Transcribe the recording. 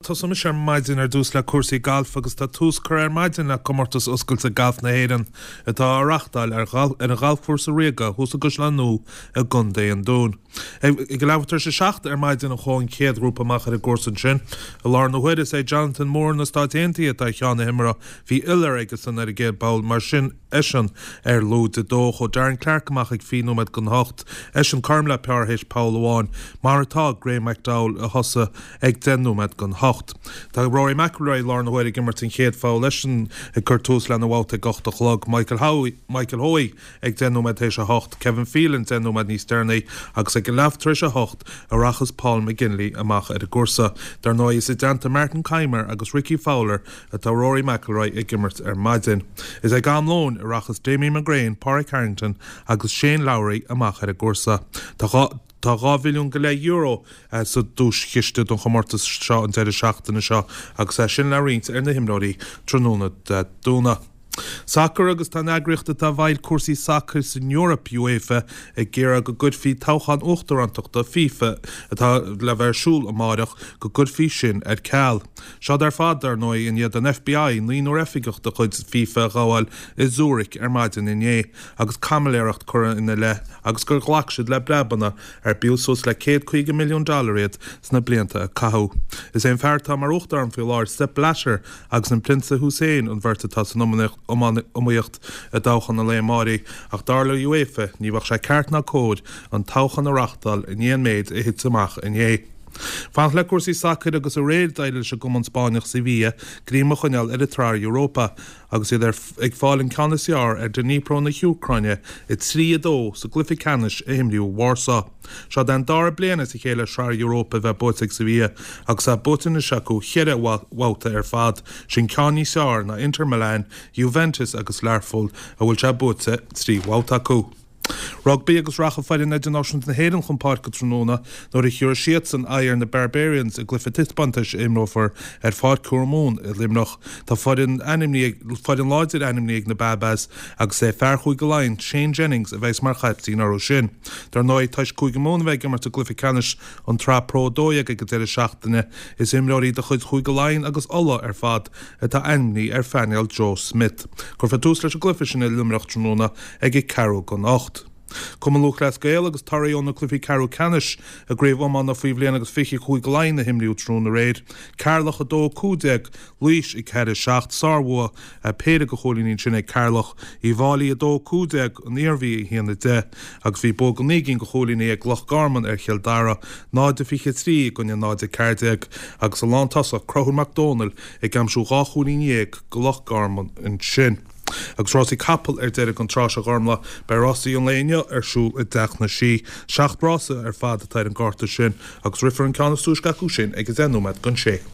Tosóidh mise ar maidin ar dtús le cúrsaí gailf agus tá tús curtha ar maidin le Comórtas Oscailte Gailf na hÉireann atá á reáchtáil ar ar an Ghalfchúrsa Ríoga thuas i gCaisleán Nua i gContae an Dúin. Ag a leathuair tar éis a 7 ar maidin a chuaigh an chéad ghrúpa amach ar an gcúrsa ansin. I láthair na huaire is é Jonathan Moore na Stáit Aontaithe atá ar cheann na himeartha. Bhí iolair aigesan ar an gcéad bpoll mar sin eisean ar lúide dó. Chuaigh Darren Clarke amach ag 20 nóiméad don hocht. Eisean cothrom le pár théis poll amháin, mar atá Graeme McDowell a thosaigh ag 10 nóiméad don hocht. Tá Rory McIlroy i láthair na huaire ag imirt an chéad pholl, eisean ag cur tús lena bhabhta ag 8 a chlog. Michael Hoey, Michael Hoey ag 10 nóiméad théis a hocht, Kevin Phelan 10 nóiméad níos deireanaí agus ag a leath tar éis a hocht a rachas Paul McGinley amach ar an gcúrsa. Dar ndóigh is i dteannta Martin Kaymer agus Rickie Fowler atá Rory McIlroy ag imirt ar maidin. Is ag am lóin a rachas Damien McGrane, Pádraig Harrington agus Shane Lowry amach ar an gcúrsa. Tá Tá €2 mhilliún go leith euro sa duaischiste don chomórtas seo an deireadh seachtaine seo agus é sin le roinnt ar na himreoirí tráthnóna Dé Domhnaigh. Sacar agus tá an eagraíocht atá i bhfeighil cúrsaí sacair san Eoraip, UEFA, ag iarraidh go gcuirfí toghchán uachtarántachta FIFA atá le bheith ar siúl amáireach, go gcuirfí sin ar ceal. Seod ar fad, dar ndóigh, i ndiaidh don FBI naonúr oifigeach de chuid FIFA a ghabháil i Zurich ar maidin inné agus caimiléireacht curtha ina leith agus gur ghlac siad le breabanna ar b'fhiú suas le 150 milliún dollar iad sna blianta a caitheadh. Is é an fear atá mar uachtarán faoi láthair, Sepp Blatter, agus an Prionsa Hussein an bheirt atá san iomaíocht i dtoghchán an lae amáirigh ach dar le UEFA ní bheadh sé ceart ná cóir an toghchán a reáchtáil i ndiaidh an méid a thit amach inné. Fanacht le cúrsaí sacair agus aréir d'éirigh leis an gcumann Spáinneach Sevilla greim a choinneáil ar an tSraith Europa agus iad ag fáil an ceann is fearr ar Dnipro na hÚcráine 3-2 sa gcluiche ceannais a himríodh i Warsaw. Seod é an dara bliain as a chéile Sraith Europa a bheith buaite ag Sevilla agus é buaite anois acu cheithre bhabhta ar fad, sin ceann níos fearr ná Inter Milan, Juventus agus Learpholl a bhfuil sé buaite 3 bhabhta acu. Rugbaí agus rachaidh foireann idirnáisiúnta na hÉireann chun páirce tráthnóna nuair a thiúrfaidh siadsan aghaidh ar na Barbarians i gcluiche taispeántais a imreofar ar Pháirc Thormún i Luimneach. Tá foireann ainmnithe foireann láidir ainmnithe ag na Baa-Baas agus é fear Chúige Laighean, Shane Jennings, a bheas mar chaiptín orthu sin. Dar ndóigh, toisc Cúige Mumhan a bheith ag imirt i gcluiche ceannais an tSraith Pro 12 ag an deireadh seachtaine, is imreoirí de chuid Chúige Laighean agus Uladh ar fad atá ainmnithe ar phainéal Joe Schmidt. Cuirfear tús leis an gcluiche sin i Luimneach tráthnóna ag a ceathrú don 8. Cumann Lúthchleas Gael agus torthaí ó na cluichí ceathrú ceannais i gCraobh Iomána faoi bhliain agus 20 Chúige Laighean a himríodh tráthnóna aréir. Ceatharlach 2, 15, Laois 4, 7, Sárbhua péire de chúilíní ansin ag Ceatharlach. Uíbh Fhailí 2, 15, An Iarmhí 1, 10, agus bhí bua de naoi gcinn de chúilíní ag Loch Garman ar Chill Dara, 0, 23 i gcoinne 0, 14, agus an lántosach Conchúr Mac Dónaill ag aimsiú dhá chúilín dhéag do Loch Garman ansin. Agus rásaí capall ar deireadh don tráth seo a Ghormlaith, beidh rásaí an lae inniu ar siúl i dTeach na Sí. Seacht rása ar fad atá ar an gcárta sin agus rithfear an ceann is túisce acu sin ag a deich nóiméad don sé.